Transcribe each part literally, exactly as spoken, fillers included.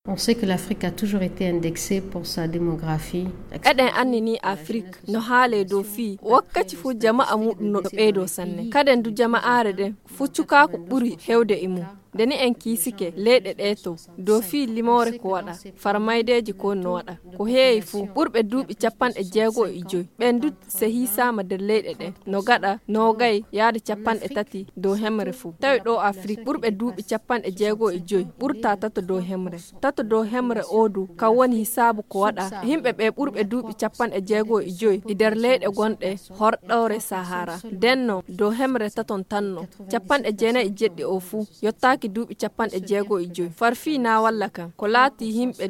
On sait que l'Afrique a toujours été indexée pour sa démographie. Eɗen anndini Afrik no haalee dow fii wakkaci fuu jama'a muuɗum no ɓeydoo sanne. Kaden du jama'aare ɗen fuu cukaaku ɓuri hewde e mum. Nde ni en kiisike leyɗe ɗee to dow fii limoore ko waɗa, farmaydeeji ko no waɗa. Ko heewi fuu, ɓurɓe duuɓi capanɗe jeego e joy ɓen du se hiisaama nder leyɗe ɗen no gaɗa noogay yaade capanɗe tati dow hemre fuu. Tawi ɗoo Afrik ɓurɓe duuɓi capanɗe jeego e joy ɓurtaa tato dow hemre. Tato dow hemre oo du kan woni hisaabu ko waɗa yimɓe ɓee ɓurɓe duuɓi capanɗe jeego e joy e nder leyɗe gonɗe horɗoore Sahara. Nden non dow hemre taton tanno capanɗe jeenayi e jeɗɗi oo fuu yottaaki duuɓi capanɗe jeego e joy. Far fii na walla kan ko laatii yimɓe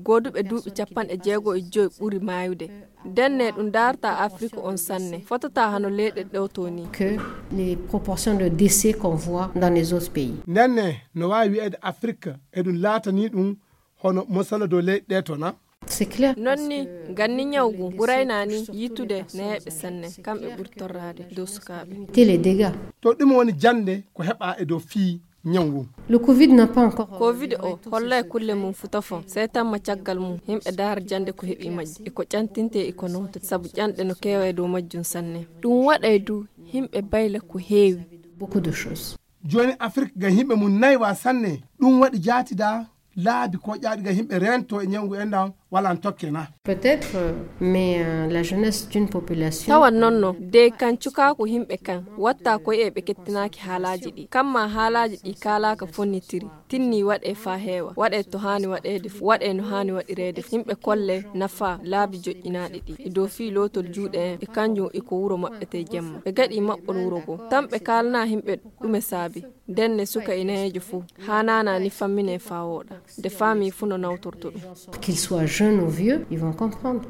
gooduɓe duuɓi capanɗe jeego e joy ɓuri maayude. Ndenne ɗum daarta Afrik on sanne, fotataa hano leyɗe ɗoo to ni. Que les proportions de décès qu'on voit dans les autres pays. Ndenne no waawi wi'eede Afrik e ɗum laatanii ɗum hono mosala dow leyɗe ɗee to na? C'est clair. Non ni, ngam ni ñaw ngun ɓurayna ni yitude nayeeɓe sanne, kamɓe ɓuri torraade dow sukaaɓe. Éviter les dégâts. To ɗum woni jannde ko heɓaa e dow fii ñaw ngun. Le covid n'a pas encore covid o hollay kulle mum fu tofon sey tamma caggal mum yimɓe daara jannde ko heɓi majji e ko ƴantinte e ko noota sabu ƴanɗe no keewa e dow majjum sanne. Ɗum waɗay du yimɓe bayla ko heewi. Beaucoup de choses. Jooni Afrik ngam yimɓe mum naywa sanne. Ɗum waɗi jaatida laabi ko ƴaaɗi ngam yimɓe reento e ñawngu enɗan wala n tokke na? Peut-être, euh, mais euh, la jeunesse d'une population. Tawan non no dey kan cukaaku yimɓe kan watta ko e ɓe kettinaaki haalaaji ɗi kamma haalaaji ɗi kaalaaka fonnitiri. Tinni waɗe faa heewa waɗe to haani waɗeede fu waɗe no haani waɗireede fu yimɓe kolle nafa laabi joƴƴinaaɗi ɗi e dow fii lootol juuɗe en e kanjum e ko wuro maɓɓete jemma ɓe gaɗi maɓɓol wuro goo tan ɓe kaalana yimɓe ɗume saabi. Ndenne suka e nayeejo fuu haanaana ni fammine faa wooɗa nde faami fuu no nawtorto ɗum. Qu'il soit jeune ou vieux, ils vont comprendre.